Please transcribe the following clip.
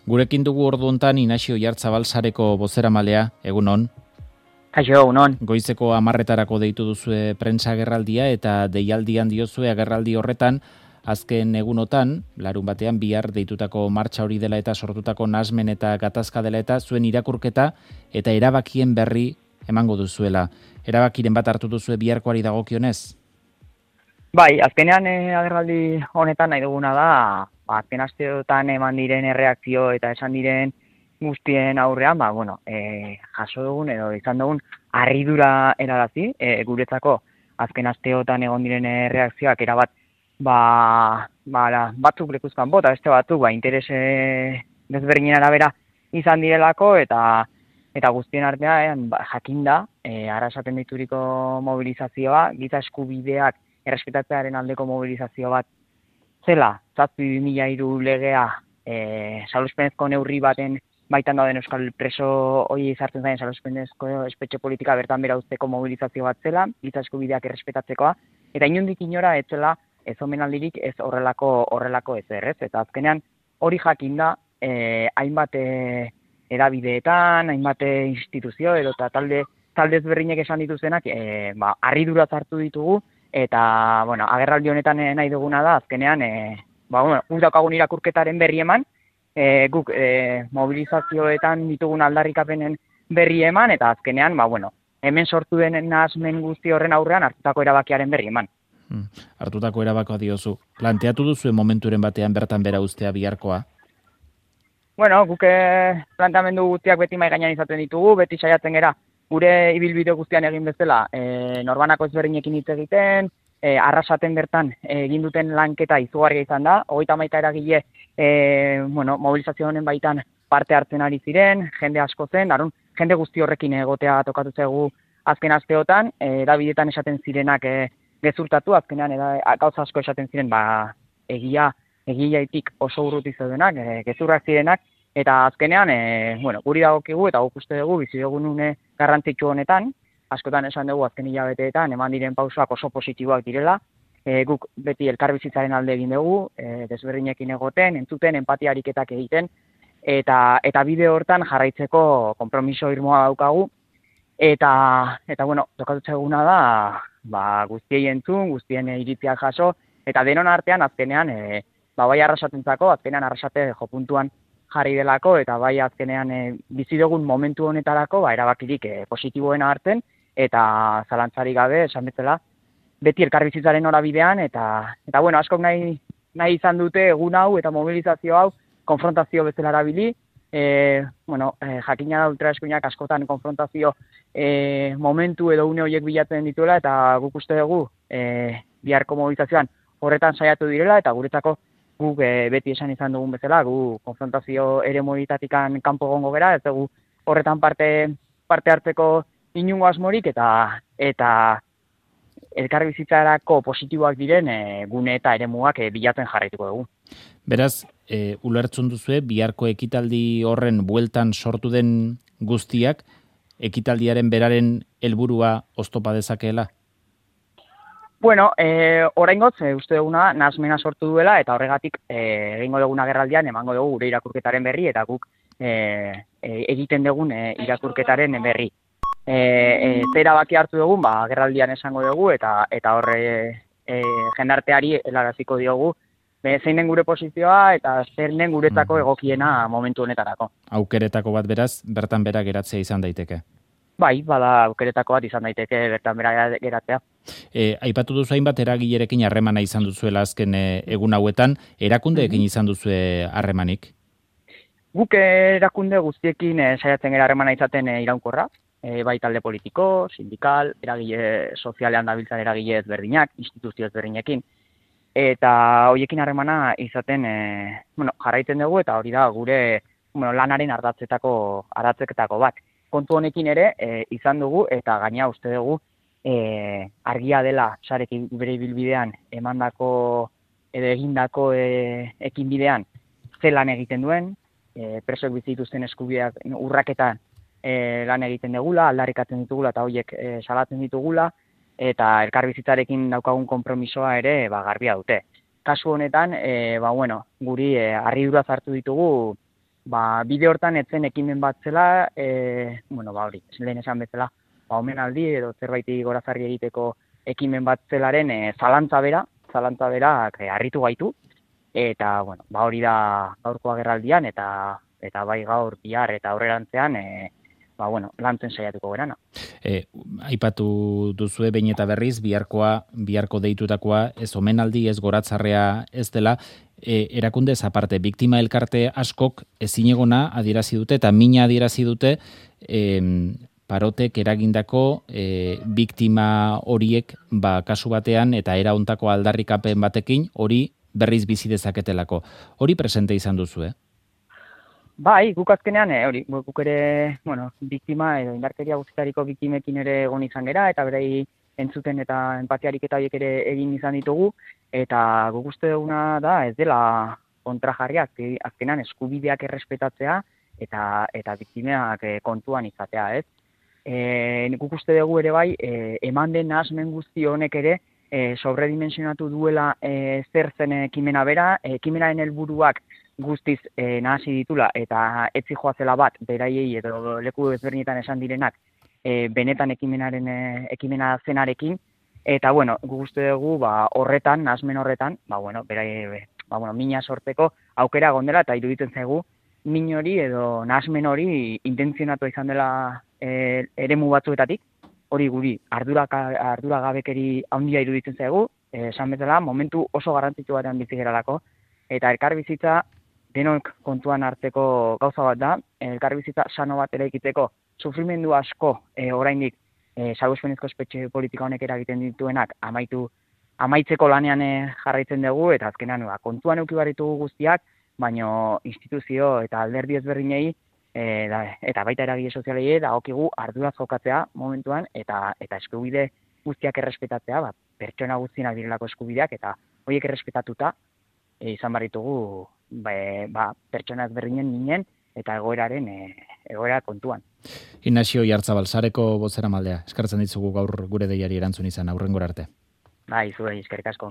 Gurekin dugu ordu hontan Inaxio Oiartzabal sareko bozeramalea, egunon. Kaixo, egunon. Goizeko 10:00 deitu duzue prentsa agerraldia eta deialdian diozue agerraldi horretan, azken egunotan, larun batean bihar deitutako martxa hori dela eta sortutako nahasmen eta gatazka dela eta zuen irakurketa eta erabakien berri emango duzuela. Erabakiren bat hartu duzue biharkoari dagokionez? Bai, azkenean agerraldi honetan nahi duguna da, azken asteotan eman diren erreakzio eta esan diren guztien aurrean, jaso dugun edo izan dugun harridura erarazi, guretzako azken asteotan egon diren erreakzioak erabat batzuk lekuzkan bota, beste batzuk interes desberdinen arabera izan direlako eta guztien artean jakinda, arasaten dituriko mobilizazioa, giza eskubideak errespetatzearen aldeko mobilizazio bat zela, 2003 legea salbuespenezko neurri baten baitan dauden euskal preso hori izartzen zaien salbuespenezko espetxe politika bertan bera uzteko mobilizazio bat zela, giza eskubideak errespetatzekoa, eta inondik inora ez zela ez omenaldirik ez horrelako ezer, ez? Eta azkenean hori jakinda hainbat erabideetan, hainbat instituzio edo eta talde ezberdinek esan dituzenak harridura hartu ditugu eta agerraldi honetan nahi duguna da azkenean guk daukagun irakurketaren berri eman, guk mobilizazioetan ditugun aldarrikapenen berri eman eta azkenean hemen sortu den nahasmen guzti horren aurrean hartutako erabakiaren berri eman. Hartutako erabakoa diozu. Planteatu duzuen momenturen batean bertan bera uztea biharkoa? Guk planteamendu guztiak beti mahai gainean izaten ditugu, beti saiatzen gera gure ibilbide guztian egin bezala norbanako ezberdinekin hitz egiten, arrasaten bertan egin duten lanketa izugarria izan da, 30 eragile mobilizazio honen baitan parte hartzen ari ziren, jende asko zen, jende guzti horrekin egotea tokatu zaigu azken asteotan, erabidetan esaten zirenak gezurtatu, azkenean gauza asko esaten ziren egiaitik oso urruti zeudenak, gezurrak zirenak, eta azkenean guri dagokigu eta guk uste dugu bizi dugun une garrantzitsu honetan, askotan esan dugu azken hilabeteetan eman diren pausoak oso positiboak direla, guk beti elkarbizitzaren alde egin dugu, desberdinekin egoten, entzuten, empatia ariketak egiten, eta bide hortan jarraitzeko konpromiso irmoa daukagu, eta tokatu eguna da, guztiei entzun, guztien iritziak jaso, eta denon artean azkenean, bai arrasatentzako, azkenean arrasate jopuntuan jarri delako, eta bai azkenean bizi dugun momentu honetarako erabakirik positiboena hartzen, eta zalantzarik gabe, esan bezala, beti elkarbizitzaren norabidean, eta askok nahi izan dute egun hau eta mobilizazio hau konfrontazio bezala erabili, jakina da ultraeskuinak askotan konfrontazio momentu edo une horiek bilatzen dituela, eta guk uste dugu biharko mobilizazioan horretan saiatu direla, eta guretzako guk beti esan izan dugun bezala, gu konfrontazio eremuetatikan kanpo egongo gera, ez dugu horretan parte hartzeko inungo asmorik, eta elkarbizitzarako positiboak diren gune eta eremuak bilatzen jarraituko dugu. Beraz, ulertzen duzue, biharko ekitaldi horren bueltan sortu den guztiak, ekitaldiaren beraren helburua oztopa dezakeela? Oraingoz, uste duguna nahasmena sortu duela, eta horregatik egingo dugun agerraldian emango dugu gure irakurketaren berri, eta guk egiten dugun irakurketaren berri. Zera baki hartu dugun, agerraldian esango dugu, eta horre jendarteari helaraziko diogu, zein den gure posizioa, eta zer den guretzako egokiena momentu honetarako. Aukeretako bat beraz, bertan bera geratzea izan daiteke? Bai, bada aukeretako bat izan daiteke bertan bera geratzea. Aipatu duzu hainbat eragilerekin harremana izan duzuela azken egun hauetan, erakundeekin izan duzue harremanik? Guk erakunde guztiekin saiatzen gara harremana izaten iraunkorra, bai talde politiko, sindikal, eragile sozialean dabiltzan eragile ezberdinak, instituzio ezberdinekin, eta horiekin harremana izaten jarraitzen dugu, eta hori da gure lanaren ardatzeketako bat. Kontu honekin ere izan dugu, eta gaina uste dugu argia dela sarekin bere ibilbidean emandako edo egindako ekinbidean zelan egiten duen, presoek bizi dituzten eskubideak urraketan lan egiten dugula, aldarrikatzen ditugula eta horiek salatzen ditugula, eta elkarbizitzarekin daukagun konpromisoa ere garbia dute. Kasu honetan, guri harridura hartu ditugu bide hortan etzen ekimen bat zela, hori, lehen esan bezala, omenaldi edo zerbaiti gorazarri egiteko ekimen bat zelaren zalantza berak harritu gaitu, eta, hori da gaurko agerraldian, eta bai gaur, bihar eta aurrerantzean, lantzen saiatuko gerana. Aipatu duzue behin eta berriz, biharko deitutakoa, ez omenaldi, ez goratzarrea ez dela, erakundez aparte, biktima elkarte askok ezinegona adierazi dute, eta mina adierazi dute, Parotek eragindako biktima horiek kasu batean eta era hontako aldarrikapen batekin hori berriz bizi dezaketelako. Hori presente izan duzu, Bai, guk azkenean, guk ere, biktima edo indarkeria guztietako biktimekin ere egon izan gera, eta berei entzuten eta empatiarik eta horiek ere egin izan ditugu, eta guk uste duguna da ez dela kontrajarria, azkenean eskubideak errespetatzea eta biktimeak kontuan izatea, ez? Guk uste dugu ere bai, eman den nahasmen guzti honek ere sobredimensionatu duela zer zen ekimena bera, ekimenaren helburuak guztiz nahasi ditula eta etzi joazela bat beraiei edo leku ezberdinetan esan direnak benetan ekimena zenarekin, eta guk uste dugu horretan, nahasmen horretan, mina sortzeko aukera gondela, eta iruditzen zaigu min hori edo nahasmen hori intentzionatu izan dela eremu batzuetatik, hori guri arduragabekeri handia iruditzen zaigu, esan bezala momentu oso garrantzitsu batean bizi geralako, eta elkarbizitza denok kontuan hartzeko gauza bat da, elkarbizitza sano bat eraikitzeko sufrimendu asko oraindik salbuespenezko espetxe politika honek eragiten dituenak amaitzeko lanean jarraitzen dugu, eta azkenean kontuan eduki behar ditugu guztiak, baino instituzio eta alderdi ezberdinei eta baita eragile sozialei dagokigu arduraz jokatzea momentuan eta eskubide guztiak errespetatzea, pertsona guztienak direlako eskubideak, eta horiek errespetatuta izan behar ditugu pertsona ezberdinen minen eta egoera kontuan. Ignacio Oiartzabal, Sareko bozeramaldea, eskertzen ditzugu gaur gure deiari erantzun izan, aurrengora arte. Bai, zuei, eskerrik asko.